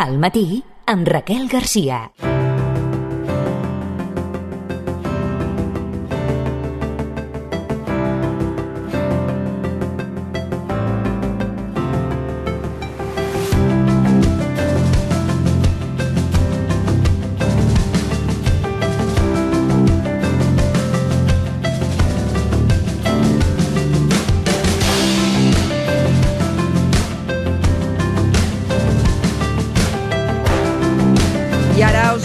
Al matí, amb Raquel Garcia.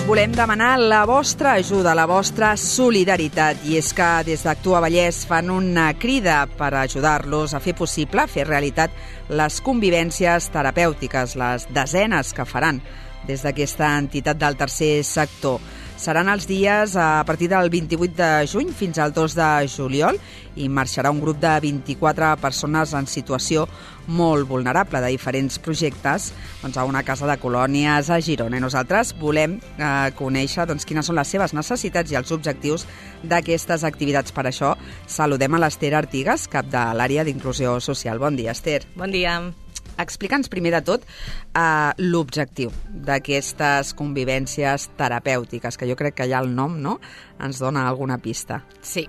Volem demanar la vostra ajuda, la vostra solidaritat, i és que des d'Actua Vallès fan una crida per ajudar-los a fer possible, a fer realitat les convivències terapèutiques, les desenes que faran des d'aquesta entitat del tercer sector. Seran els dies a partir del 28 de juny fins al 2 de juliol i marxarà un grup de 24 persones en situació molt vulnerable de diferents projectes a una casa de colònies a Girona. I nosaltres volem conèixer quines són les seves necessitats i els objectius d'aquestes activitats. Per això saludem a l'Ester Artigas, cap de l'àrea d'inclusió social. Bon dia, Ester. Bon dia. Explica'ns primer de tot l'objectiu d'aquestes convivències terapèutiques, que jo crec que ja el nom ens dona alguna pista. Sí.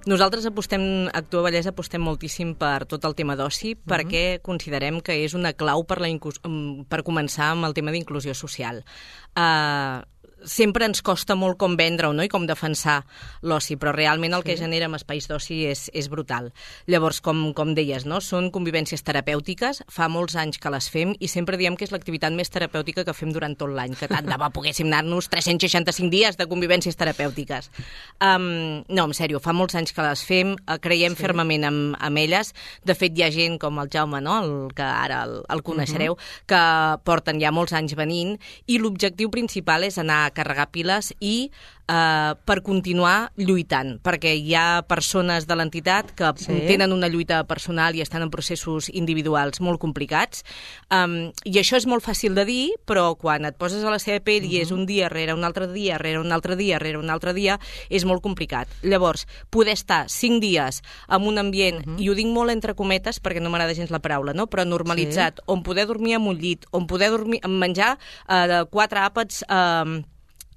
Nosaltres Actua Vallès apostem moltíssim per tot el tema d'oci perquè considerem que és una clau per començar amb el tema d'inclusió social. Sempre ens costa molt com vendre-ho i com defensar l'oci, però realment el que genera amb espais d'oci és brutal. Llavors, com deies, són convivències terapèutiques, fa molts anys que les fem i sempre diem que és l'activitat més terapèutica que fem durant tot l'any, que tant de bo poguéssim anar-nos 365 dies de convivències terapèutiques. No, en sèrio, fa molts anys que les fem, creiem fermament amb elles. De fet, hi ha gent com el Jaume, que ara el coneixereu, que porten ja molts anys venint, i l'objectiu principal és anar a carregar piles i per continuar lluitant, perquè hi ha persones de l'entitat que tenen una lluita personal i estan en processos individuals molt complicats, i això és molt fàcil de dir, però quan et poses a la seva pell i és un dia rere un altre dia, rere un altre dia, rere un altre dia, és molt complicat. Llavors, poder estar 5 dies en un ambient, i ho dic molt entre cometes perquè no m'agrada gens la paraula, però normalitzat, on poder dormir en un llit, on poder menjar 4 àpats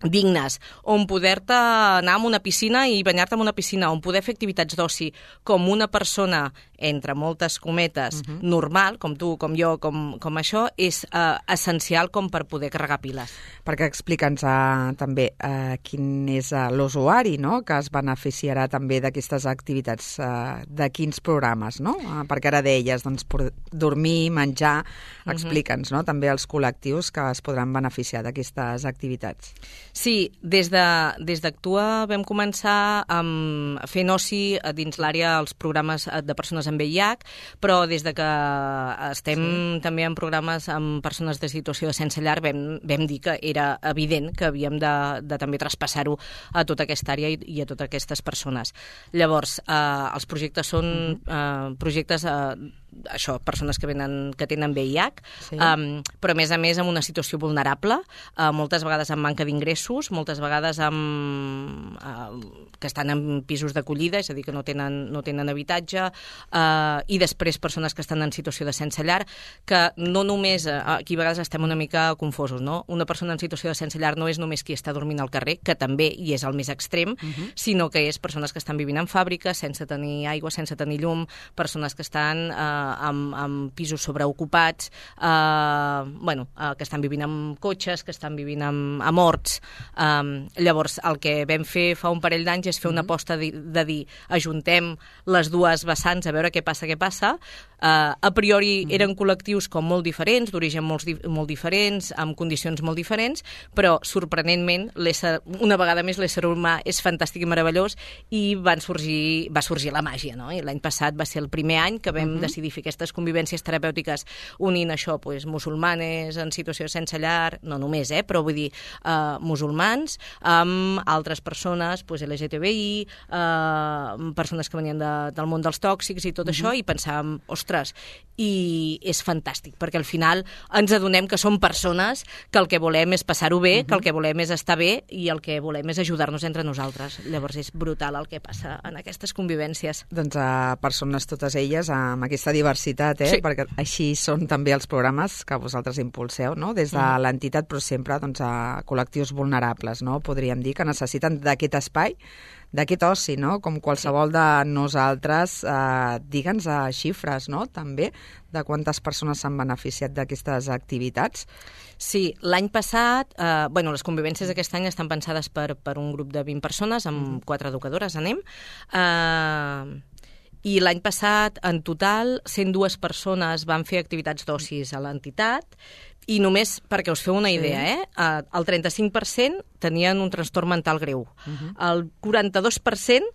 dignes, on poder-te anar a una piscina i banyar-te en una piscina, on poder fer activitats d'oci com una persona, entre moltes cometes, normal, com tu, com jo, com això, és essencial com per poder carregar piles. Perquè explica'ns també quin és l'usuari que es beneficiarà també d'aquestes activitats, de quins programes, perquè ara deies, dormir, menjar, explica'ns també els col·lectius que es podran beneficiar d'aquestes activitats. Sí, des d'Actua vam començar fent oci dins l'àrea els programes de persones amb VIH, però des de que estem també en programes amb persones de situació de sense llar vam dir que era evident que havíem de també traspassar-ho a tota aquesta àrea i a totes aquestes persones. Llavors, els projectes són projectes persones que tenen VIH, però a més amb una situació vulnerable, moltes vegades amb manca d'ingressos, moltes vegades que estan en pisos d'acollida, és a dir, que no tenen habitatge, i després persones que estan en situació de sense llar, que no només, aquí a vegades estem una mica confosos, una persona en situació de sense llar no és només qui està dormint al carrer, que també hi és el més extrem, sinó que és persones que estan vivint en fàbriques, sense tenir aigua, sense tenir llum, persones que estan amb pisos sobreocupats, que estan vivint amb cotxes, que estan vivint amb horts. Llavors, el que vam fer fa un parell d'anys és fer una aposta de dir ajuntem les dues vessants a veure què passa. A priori eren col·lectius com molt diferents, d'origen molt diferents, amb condicions molt diferents, però sorprenentment, una vegada més, l'ésser humà és fantàstic i meravellós i va sorgir la màgia, I l'any passat va ser el primer any que vam decidir fer aquestes convivències terapèutiques unint això, musulmanes en situació sense llar, no només, però vull dir musulmans, amb altres persones, LGTBI, persones que venien del món dels tòxics i tot això, i pensàvem, ostres, i és fantàstic, perquè al final ens adonem que som persones, que el que volem és passar-ho bé, que el que volem és estar bé i el que volem és ajudar-nos entre nosaltres. Llavors és brutal el que passa en aquestes convivències. Doncs persones totes elles amb aquesta diversitat, Sí. perquè així són també els programes que vosaltres impulseu, no? Des de l'entitat, però sempre doncs, a col·lectius vulnerables, no? Podríem dir que necessiten d'aquest espai, d'aquest oci, no? Com qualsevol de nosaltres, digue'ns xifres, no? També, de quantes persones s'han beneficiat d'aquestes activitats. Sí, l'any passat, les convivències d'aquest any estan pensades per un grup de 20 persones, amb 4 educadores, i l'any passat, en total, 102 persones van fer activitats d'ocis a l'entitat, i només perquè us feu una idea, el 35% tenien un trastorn mental greu, el 42%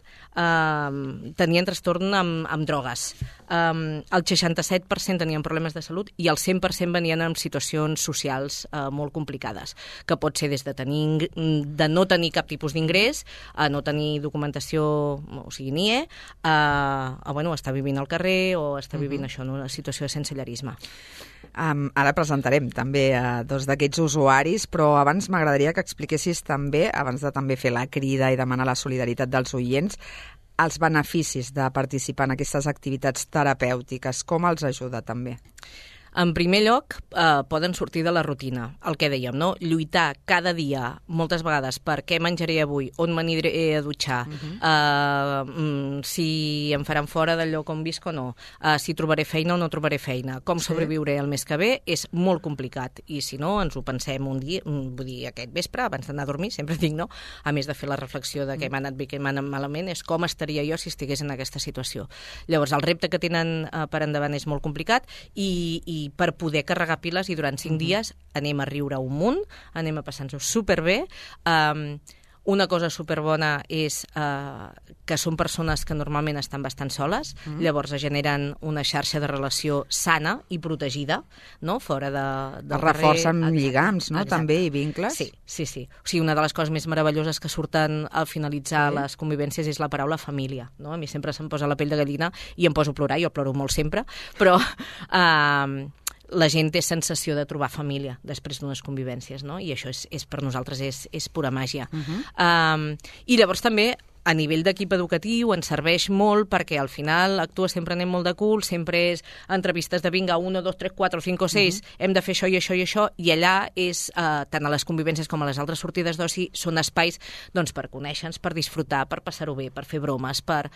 tenien trastorn amb drogues, el 67% tenien problemes de salut i el 100% venien en situacions socials molt complicades, que pot ser des de no tenir cap tipus d'ingrés, a no tenir documentació, o sigui, NIE, a estar vivint al carrer o estar vivint això en una situació de sensellarisme. Ara presentarem també dos d'aquests usuaris, però abans m'agradaria que expliquessis també, abans de també fer la crida i demanar la solidaritat dels oients, els beneficis de participar en aquestes activitats terapèutiques, com els ajuda també? En primer lloc, poden sortir de la rutina, el que dèiem, no? Lluitar cada dia, moltes vegades, per què menjaré avui, on m'aniré a dutxar, si em faran fora del lloc on visc o no, si trobaré feina o no trobaré feina, com sobreviuré el mes que ve, és molt complicat. I si no, ens ho pensem un dia, vull dir, aquest vespre, abans d'anar a dormir, sempre dic, no? A més de fer la reflexió de què m'ha anat bé, què m'ha anat malament, és com estaria jo si estigués en aquesta situació. Llavors, el repte que tenen per endavant és molt complicat i per poder carregar piles i durant 5 dies anem a riure un munt, anem a passar-nos superbé. Una cosa superbona és que són persones que normalment estan bastant soles, llavors generen una xarxa de relació sana i protegida, no? Fora del carrer. Reforcen lligams, no? També, i vincles. Sí. O sigui, una de les coses més meravelloses que surten al finalitzar les convivències és la paraula família, no? A mi sempre se'm posa la pell de gallina i em poso a plorar, jo ploro molt sempre, però la gent té sensació de trobar família després d'unes convivències, no? I això és per nosaltres és pura màgia. I llavors també a nivell d'equip educatiu ens serveix molt perquè al final Actua sempre anem molt de cul, sempre és entrevistes de vinga, 1, 2, 3, 4, 5 o 6, hem de fer això i això i això, i allà és, tant a les convivències com a les altres sortides d'oci, són espais doncs, per conèixer-nos, per disfrutar, per passar-ho bé, per fer bromes, per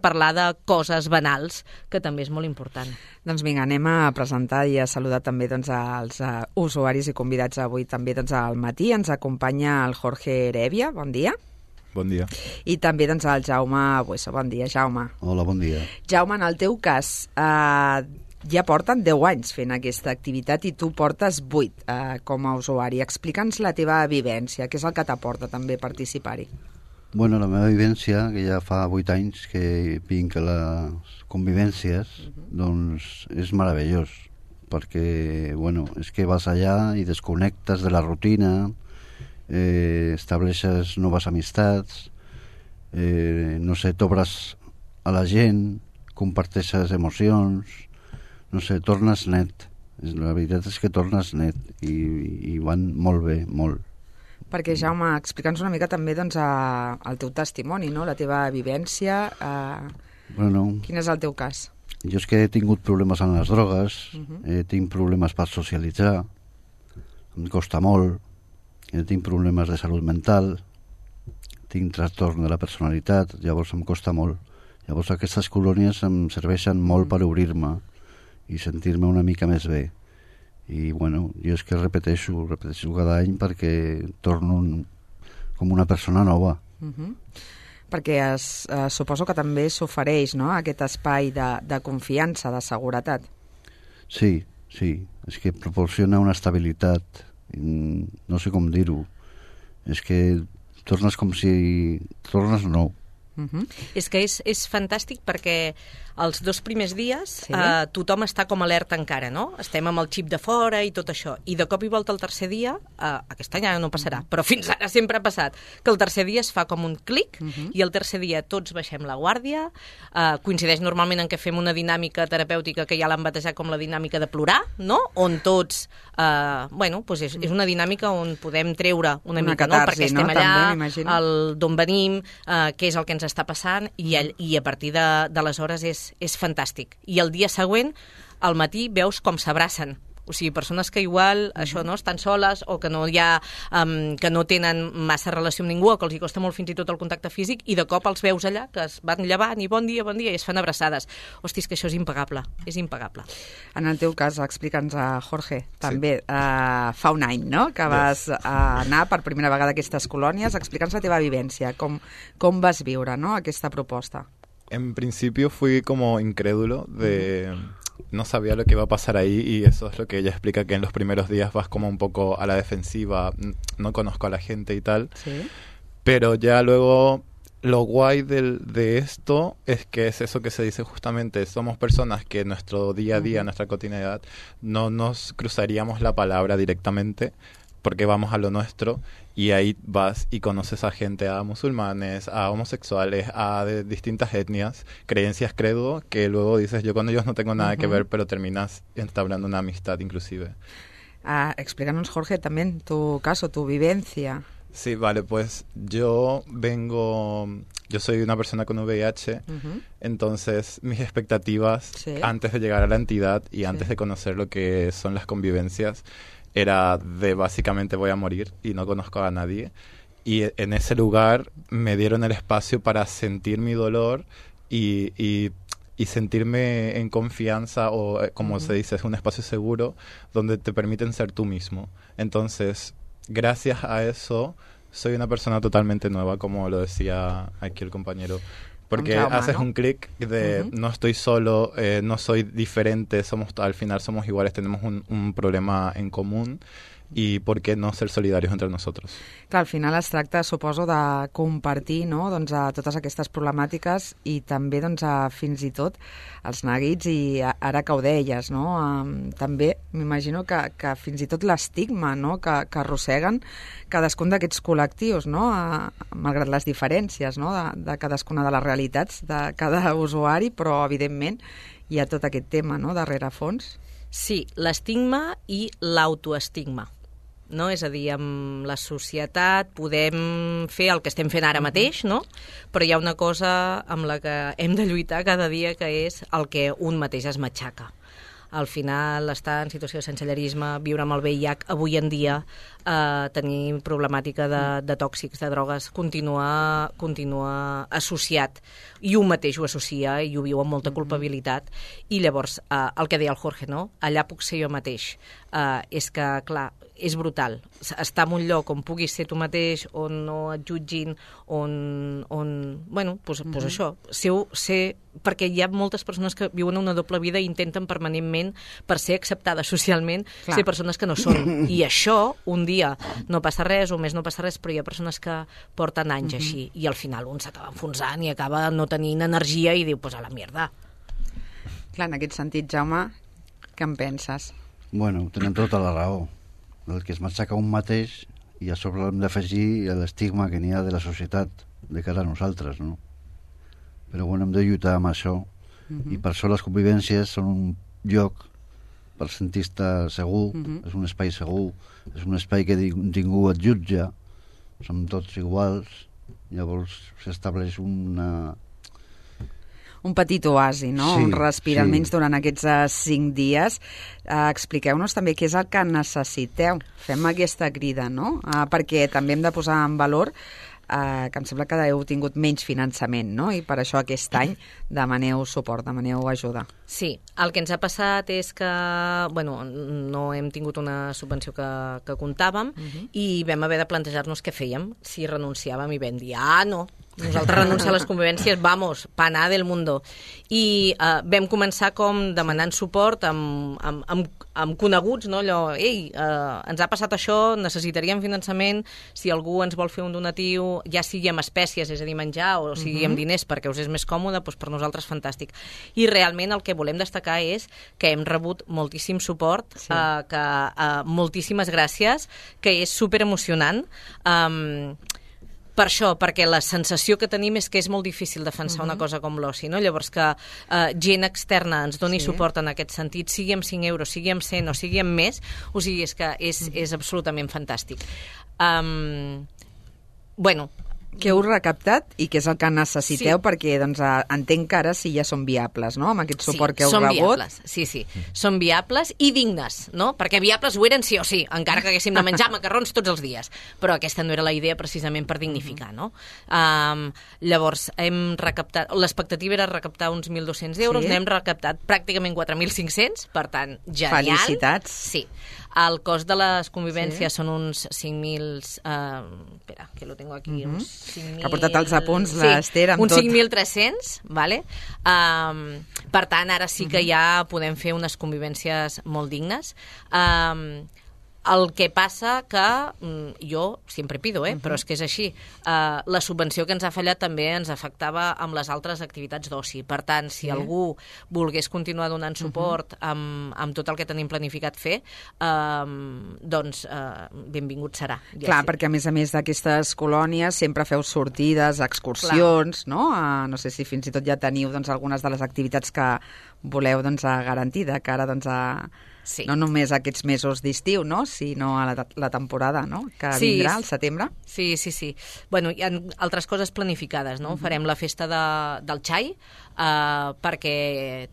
parlar de coses banals, que també és molt important. Doncs vinga, anem a presentar i a saludar també doncs, els usuaris i convidats avui també doncs, al matí. Ens acompanya el Jorge Heredia, bon dia. Bon dia. I també doncs, el Jaume Bueso. Bon dia, Jaume. Hola, bon dia. Jaume, en el teu cas, ja porten 10 anys fent aquesta activitat i tu portes 8 com a usuari. Explica'ns la teva vivència, què és el que t'aporta també participar-hi? Bueno, la meva vivència, que ja fa 8 anys que vinc a les convivències, doncs és meravellós, perquè, bueno, és que vas allà i desconnectes de la rutina, estableixes noves amistats, no sé, t'obres a la gent, comparteixes emocions, no sé, tornes net. La veritat és que tornes net i van molt bé, molt. Perquè, Jaume, explica'ns una mica també doncs, el teu testimoni, no? La teva vivència. Bueno, quin és el teu cas? Jo és que he tingut problemes amb les drogues, tinc problemes per socialitzar, em costa molt, tinc problemes de salut mental, tinc trastorn de la personalitat, llavors em costa molt. Llavors aquestes colònies em serveixen molt per obrir-me i sentir-me una mica més bé. I bueno, jo és que repeteixo cada any perquè torno com una persona nova. Perquè suposo que també s'ofereix, no?, aquest espai de confiança, de seguretat. Sí, és que proporciona una estabilitat, no sé com dir-ho, és que tornes com si tornes nou. És que és fantàstic perquè els 2 primers dies tothom està com alerta encara, no? Estem amb el xip de fora i tot això. I de cop i volta el tercer dia, aquest any ara no passarà, però fins ara sempre ha passat, que el tercer dia es fa com un clic i el tercer dia tots baixem la guàrdia, coincideix normalment en què fem una dinàmica terapèutica que ja l'han batejat com la dinàmica de plorar, no? On tots, doncs és una dinàmica on podem treure una mica, no? Perquè estem allà, d'on venim, què és el que ens ens està passant i a partir d'aleshores és fantàstic. I el dia següent, al matí, veus com s'abracen. O sigui, persones que igual això no estan soles o que no hi ha, que no tenen massa relació amb ningú o que els hi costa molt fins i tot el contacte físic i de cop els veus allà, que es van llevant i bon dia, i es fan abraçades. Hosti, és que això és impagable, és impagable. En el teu cas, explica'ns, Jorge, també fa un any, no?, que vas anar per primera vegada a aquestes colònies. Explica'ns la teva vivència, com vas viure, no?, aquesta proposta. En principio fui como incrédulo no sabía lo que iba a pasar ahí y eso es lo que ella explica, que en los primeros días vas como un poco a la defensiva, no conozco a la gente y tal, ¿sí? Pero ya luego lo guay de esto es que es eso que se dice justamente, somos personas que en nuestro día a día, en nuestra cotidianidad, no nos cruzaríamos la palabra directamente porque vamos a lo nuestro y ahí vas y conoces a gente, a musulmanes, a homosexuales, a de distintas etnias, creencias, credo, que luego dices, yo con ellos no tengo nada que ver, pero terminas entablando una amistad inclusive. Explícanos, Jorge, también tu caso, tu vivencia. Sí, vale, pues yo soy una persona con VIH, entonces mis expectativas antes de llegar a la entidad y antes de conocer lo que son las convivencias era de básicamente voy a morir y no conozco a nadie. Y en ese lugar me dieron el espacio para sentir mi dolor y sentirme en confianza o, como se dice, es un espacio seguro donde te permiten ser tú mismo. Entonces, gracias a eso, soy una persona totalmente nueva, como lo decía aquí el compañero. Porque haces un clic de no estoy solo, no soy diferente, al final somos iguales, tenemos un problema en común i per què no ser solidaris entre nosaltres? Clar, al final es tracta, suposo, de compartir, no?, doncs, a totes aquestes problemàtiques i també doncs, fins i tot els neguits i ara que ho deies, no? També m'imagino que fins i tot l'estigma, no?, que arrosseguen cadascun d'aquests col·lectius, no?, malgrat les diferències, no?, de cadascuna de les realitats de cada usuari, però evidentment hi ha tot aquest tema, no?, de rerefons. Sí, l'estigma i l'autoestigma. No? És a dir, amb la societat podem fer el que estem fent ara mateix, no? Però hi ha una cosa amb la que hem de lluitar cada dia, que és el que un mateix es matxaca. Al final, estar en situació de sensellarisme, viure amb el VIH, avui en dia, tenir problemàtica de tòxics, de drogues, continua associat. I un mateix ho associa i ho viu amb molta culpabilitat. I llavors, el que deia el Jorge, no? Allà puc ser jo mateix. És que, clar, és brutal. Estar en un lloc on puguis ser tu mateix, on no et jutgin, bueno, doncs això, perquè hi ha moltes persones que viuen una doble vida i intenten permanentment, per ser acceptades socialment, ser persones que no són. I això, un dia no passa res, un mes no passa res, però hi ha persones que porten anys així, i al final un s'acaba enfonsant i acaba no tenint energia i diu, pues a la mierda. Clar, en aquest sentit, Jaume, què en penses? Bueno, tenen tota la raó. El que es matxaca un mateix, i a sobre hem d'afegir l'estigma que n'hi ha de la societat de cara a nosaltres, no? Però bueno, hem de lluitar amb això, i per això les convivències són un lloc per sentir-te segur, és un espai segur, és un espai que ningú et jutja, som tots iguals, llavors s'estableix un petit oasi, no? Un respir, almenys durant aquests 5 dies. Expliqueu-nos també què és el que necessiteu. Fem aquesta crida, no? Perquè també hem de posar en valor que em sembla que heu tingut menys finançament, no? I per això aquest any demaneu suport, demaneu ajuda. Sí, el que ens ha passat és que, bueno, no hem tingut una subvenció que comptàvem i vam haver de plantejar-nos què fèiem, si renunciàvem i vam dir, no, nosaltres renunciar a les convivències, vamos, paná del mundo. I vam començar com demanant suport amb coneguts, no? Allò, ens ha passat això, necessitaríem finançament, si algú ens vol fer un donatiu, ja sigui amb espècies, és a dir, menjar, o sigui amb diners perquè us és més còmode, doncs per nosaltres fantàstic. I realment el que volem destacar és que hem rebut moltíssim suport, moltíssimes gràcies, que és superemocionant. Per això, perquè la sensació que tenim és que és molt difícil defensar una cosa com l'oci, no? Llavors que gent externa ens doni suport en aquest sentit, sigui amb 5 euros, sigui amb 100 o sigui amb més, o sigui, és que és absolutament fantàstic. Bueno, Què heu recaptat i què és el que necessiteu? Perquè doncs, entenc que ara sí ja són viables, no?, amb aquest suport que heu rebut. Viables. Sí, són viables i dignes, no? Perquè viables ho eren sí o sí, encara que haguéssim de menjar macarrons tots els dies. Però aquesta no era la idea precisament per dignificar, no? Llavors, hem recaptat... L'expectativa era recaptar uns 1.200 euros, n'hem recaptat pràcticament 4.500, per tant, genial. Felicitats. Sí. El cost de les convivències són uns 5.000... espera, que lo tengo aquí. Uns 5.000... Ha portat els apunts l'Ester amb uns tot. 5.300, vale? Per tant, ara sí que ja podem fer unes convivències molt dignes. El que passa que jo sempre pido, però és que és així. La subvenció que ens ha fallat també ens afectava amb les altres activitats d'oci. Per tant, si algú volgués continuar donant suport amb tot el que tenim planificat fer, doncs benvingut serà. Clar, perquè a més d'aquestes colònies sempre feu sortides, excursions, no? No sé si fins i tot ja teniu algunes de les activitats que voleu garantir de cara no només aquests mesos d'estiu, no?, sinó a la temporada, no?, que vindrà al setembre. Sí. Bueno, hi ha altres coses planificades, no? Farem la festa del xai, perquè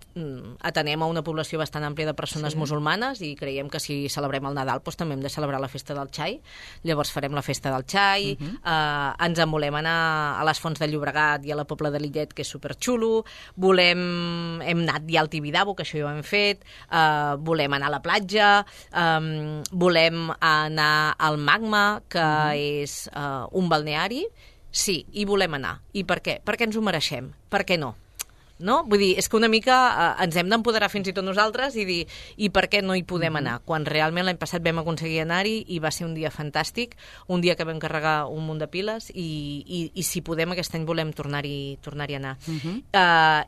atenem a una població bastant àmplia de persones musulmanes i creiem que si celebrem el Nadal doncs també hem de celebrar la festa del xai. Llavors farem la festa del xai, ens en volem anar a les Fonts de Llobregat i a la Pobla de Lillet, que és superxulo, hem anat ja al Tibidabo, que això ja ho hem fet, volem anar a la platja, volem anar al Magma, que és un balneari, sí, hi volem anar. I per què? Perquè ens ho mereixem. Per què no? No? Vull dir, és que una mica ens hem d'empoderar fins i tot nosaltres i dir, i per què no hi podem anar? Quan realment l'any passat vam aconseguir anar-hi i va ser un dia fantàstic, un dia que vam carregar un munt de piles i si podem aquest any volem tornar-hi a anar.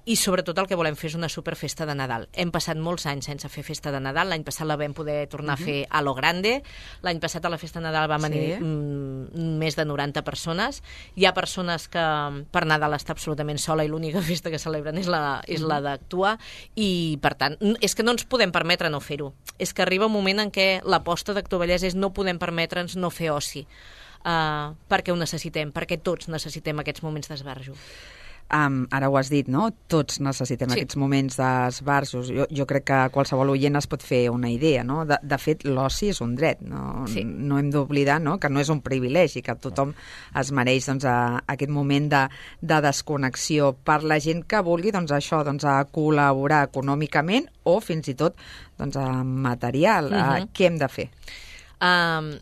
I sobretot el que volem fer és una superfesta de Nadal. Hem passat molts anys sense fer festa de Nadal, l'any passat la vam poder tornar a fer a lo grande, l'any passat a la festa de Nadal vam venir més de 90 persones, hi ha persones que per Nadal està absolutament sola i l'única festa que celebren és la d'actuar i, per tant, és que no ens podem permetre no fer-ho. És que arriba un moment en què l'aposta d'Actua Vallès és no podem permetre'ns no fer oci. Perquè ho necessitem, perquè tots necessitem aquests moments d'esbarjo. Ara ho has dit, no? Tots necessitem aquests moments d'esbarjos. Jo crec que qualsevol oient es pot fer una idea, no? De fet, l'oci és un dret, no hem d'oblidar, no?, que no és un privilegi, que tothom es mereix aquest moment de desconnexió per la gent que vulgui a col·laborar econòmicament o fins i tot material. Què hem de fer? I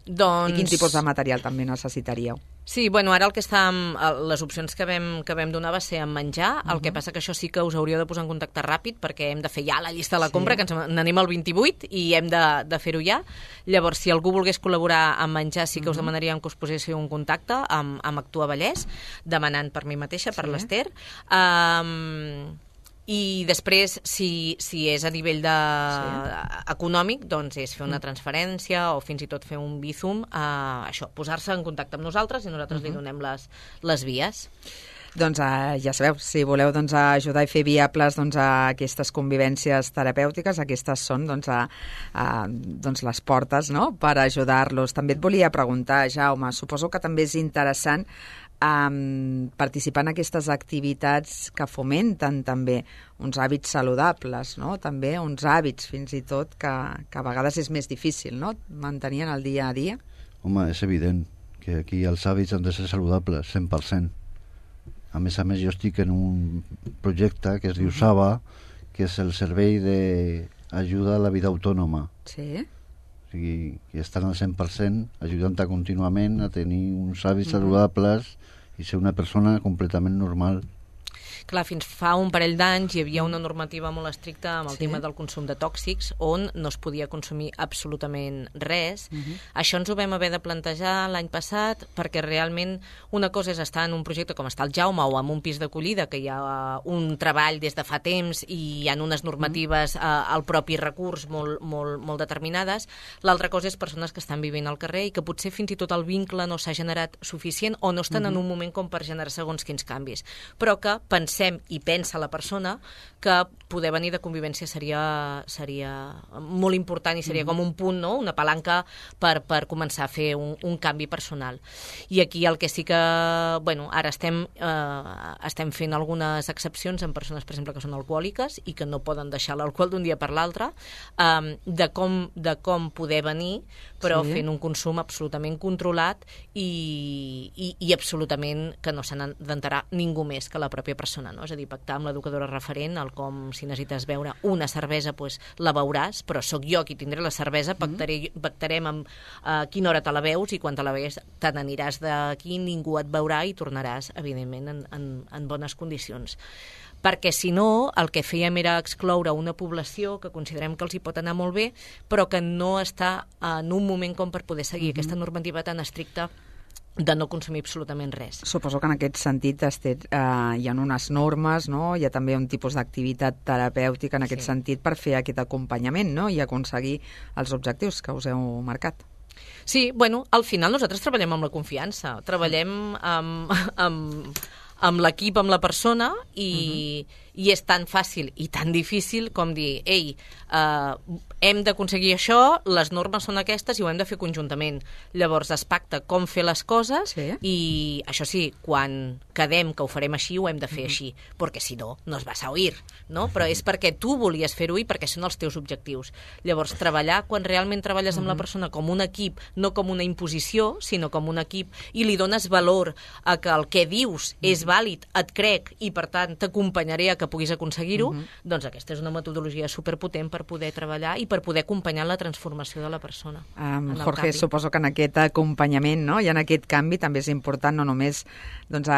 quin tipus de material també necessitaríeu? Sí, bueno, ara el que les opcions que vam donar va ser en menjar, el que passa que això sí que us hauríeu de posar en contacte ràpid perquè hem de fer ja la llista de la compra, que ens n'anem al 28 i hem de fer-ho ja. Llavors, si algú volgués col·laborar en menjar, sí que us demanaríem que us poséssiu en contacte amb Actua Vallès, demanant per mi mateixa, per l'Ester. I després, si és a nivell econòmic, doncs és fer una transferència o fins i tot fer un Bizum, això, posar-se en contacte amb nosaltres i nosaltres li donem les vies. Doncs ja sabeu, si voleu ajudar i fer viables aquestes convivències terapèutiques, aquestes són les portes, no?, per ajudar-los. També et volia preguntar, Jaume, suposo que també és interessant participar en aquestes activitats que fomenten també uns hàbits saludables, no?, també uns hàbits fins i tot que a vegades és més difícil, no?, mantenir en el dia a dia. Home, és evident que aquí els hàbits han de ser saludables, 100%. A més, jo estic en un projecte que es diu SAVA, que és el servei d'ajuda a la vida autònoma. Sí. O sigui, que estan al 100% ajudant-te contínuament a tenir uns hàbits saludables i ser una persona completament normal. Clar, fins fa un parell d'anys hi havia una normativa molt estricta amb el tema del consum de tòxics, on no es podia consumir absolutament res. Això ens ho vam haver de plantejar l'any passat, perquè realment una cosa és estar en un projecte com està el Jaume o en un pis d'acollida, que hi ha un treball des de fa temps i hi ha unes normatives al propi recurs molt determinades. L'altra cosa és persones que estan vivint al carrer i que potser fins i tot el vincle no s'ha generat suficient o no estan en un moment com per generar segons quins canvis, però que pensem i pensa la persona que poder venir de convivència seria molt important i seria com un punt, no? Una palanca per començar a fer un canvi personal. I aquí el que sí que... Bueno, ara estem fent algunes excepcions en persones, per exemple, que són alcohòliques i que no poden deixar l'alcohol d'un dia per l'altre, de com poder venir, però fent un consum absolutament controlat i absolutament que no se n'ha d'enterar ningú més que la pròpia persona, no? És a dir, pactar amb l'educadora referent, el com si necessites beure una cervesa, doncs la beuràs, però sóc jo qui tindré la cervesa, pactarem amb quina hora te la beus i quan te la beus te n'aniràs d'aquí, ningú et veurà i tornaràs, evidentment, en bones condicions. Perquè si no, el que fèiem era excloure una població que considerem que els hi pot anar molt bé, però que no està en un moment com per poder seguir aquesta normativa tan estricta de no consumir absolutament res. Suposo que en aquest sentit hi ha unes normes, no? Hi ha també un tipus d'activitat terapèutica en aquest sentit per fer aquest acompanyament, no? I aconseguir els objectius que us heu marcat. Sí, bueno, al final nosaltres treballem amb la confiança, treballem amb l'equip, amb la persona i és tan fàcil i tan difícil com dir, ei, hem d'aconseguir això, les normes són aquestes i ho hem de fer conjuntament. Llavors es pacta com fer les coses i això sí, quan quedem que ho farem així, ho hem de fer així, perquè si no, no es vas a oir, no? Però és perquè tu volies fer-ho i perquè són els teus objectius. Llavors treballar, quan realment treballes amb la persona com un equip, no com una imposició, sinó com un equip, i li dones valor a que el que dius és vàlid, et crec i per tant t'acompanyaré a que puguis aconseguir-ho, doncs aquesta és una metodologia superpotent per poder treballar i per poder acompanyar la transformació de la persona. Jorge, suposo que en aquest acompanyament, no? I en aquest canvi també és important no només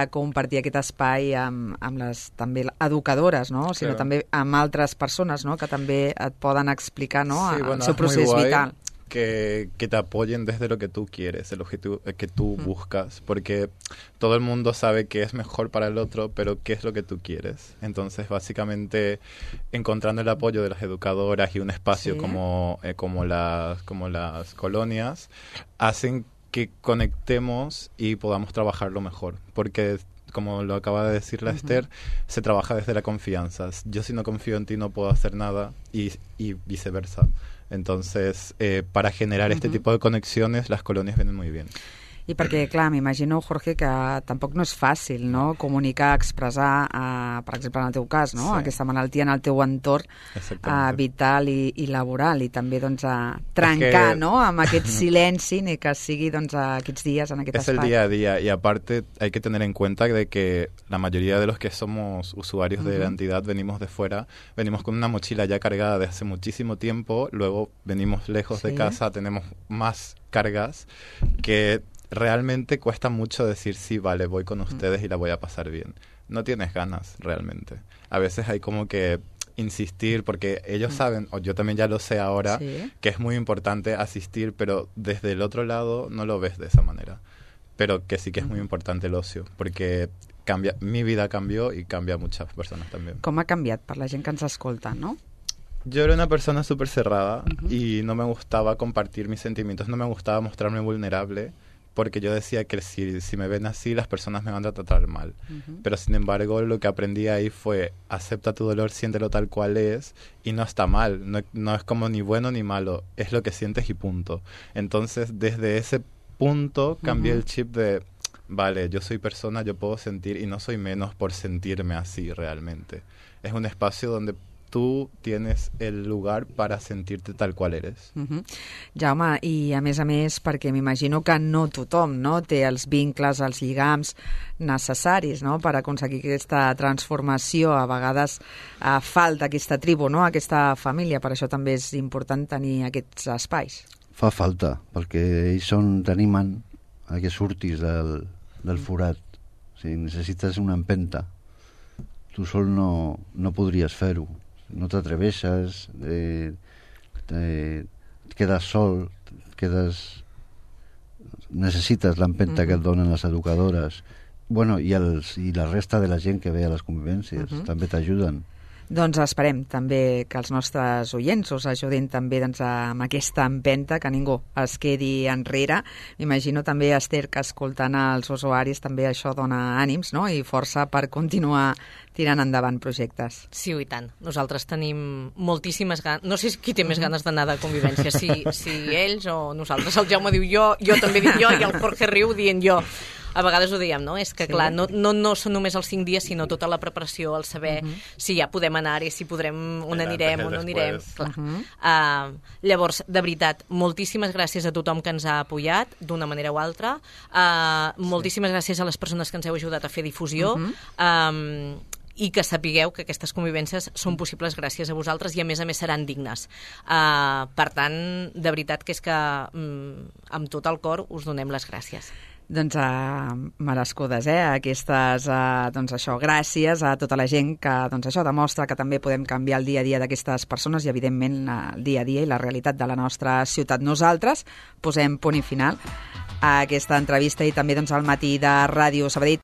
compartir aquest espai amb les també educadores, no? Sinó també amb altres persones, no? Que també et poden explicar, no? El seu procés vital. Que te apoyen desde lo que tú quieres, el objetivo que tú buscas, porque todo el mundo sabe que es mejor para el otro, pero ¿qué es lo que tú quieres? Entonces, básicamente, encontrando el apoyo de las educadoras y un espacio como las colonias, hacen que conectemos y podamos trabajarlo mejor, porque como lo acaba de decir la Esther, se trabaja desde la confianza. Yo si no confío en ti no puedo hacer nada y viceversa. Entonces, para generar este tipo de conexiones, las colonias vienen muy bien. I perquè, clar, m'imagino, Jorge, que tampoc no és fàcil, no?, comunicar, expressar, per exemple, en el teu cas, no?, aquesta malaltia en el teu entorn vital i laboral, i també, doncs, trencar, ¿no?, amb aquest silenci, ni que sigui, doncs, aquests dies en aquest espai. Es el día a día, y aparte hay que tener en cuenta de que la mayoría de los que somos usuarios de la entidad venimos de fuera, venimos con una mochila ya cargada de hace muchísimo tiempo, luego venimos lejos de casa, tenemos más cargas que realmente cuesta mucho decir, sí, vale, voy con ustedes y la voy a pasar bien. No tienes ganas, realmente. A veces hay como que insistir, porque ellos saben, o yo también ya lo sé ahora, que es muy importante asistir, pero desde el otro lado no lo ves de esa manera. Pero que sí que es muy importante el ocio, porque mi vida cambió y cambia a muchas personas también. Com ha canviat per la gent que ens escolta, no? Yo era una persona súper cerrada y no me gustaba compartir mis sentimientos, no me gustaba mostrarme vulnerable, porque yo decía que si me ven así, las personas me van a tratar mal. Pero, sin embargo, lo que aprendí ahí fue, acepta tu dolor, siéntelo tal cual es, y no está mal, no es como ni bueno ni malo, es lo que sientes y punto. Entonces, desde ese punto, cambié el chip de, vale, yo soy persona, yo puedo sentir, y no soy menos por sentirme así realmente. Es un espacio donde tú tienes el lugar para sentirte tal cual eres. Jaume, i a més, perquè m'imagino que no tothom, no, té els vincles, els lligams necessaris, no?, per aconseguir aquesta transformació. A vegades falta aquesta tribu, no?, aquesta família. Per això també és important tenir aquests espais. Fa falta, perquè ells t'animen a que surtis del forat. O sigui, necessites una empenta. Tu sol no podries fer-ho. No t'atreveixes, quedes sol, necessites l'empenta que et donen les educadores, bueno, i la resta de la gent que ve a les convivències també t'ajuden. Doncs esperem també que els nostres oients us ajudin també amb aquesta empenta, que ningú es quedi enrere. M'imagino també, Esther, que escoltant els usuaris també això dona ànims, no?, i força per continuar tirant endavant projectes. Sí, i tant. Nosaltres tenim moltíssimes ganes. No sé qui té més ganes d'anar de convivència, si ells o nosaltres. El Jaume diu jo també dic jo, i el Jorge riu dient jo. A vegades ho diem, no? És que, clar, no són només els 5 dies, sinó tota la preparació, el saber si ja podem anar-hi, si podrem, on anirem, on no anirem. Clar. Llavors, de veritat, moltíssimes gràcies a tothom que ens ha apoyat, d'una manera o altra. Moltíssimes gràcies a les persones que ens heu ajudat a fer difusió. I que sapigueu que aquestes convivències són possibles gràcies a vosaltres i, a més seran dignes. Per tant, de veritat que és que amb tot el cor us donem les gràcies. Doncs merescudes, aquestes, gràcies a tota la gent que, això demostra que també podem canviar el dia a dia d'aquestes persones i, evidentment, el dia a dia i la realitat de la nostra ciutat. Nosaltres posem punt i final a aquesta entrevista i també al matí de Ràdio Sabadell.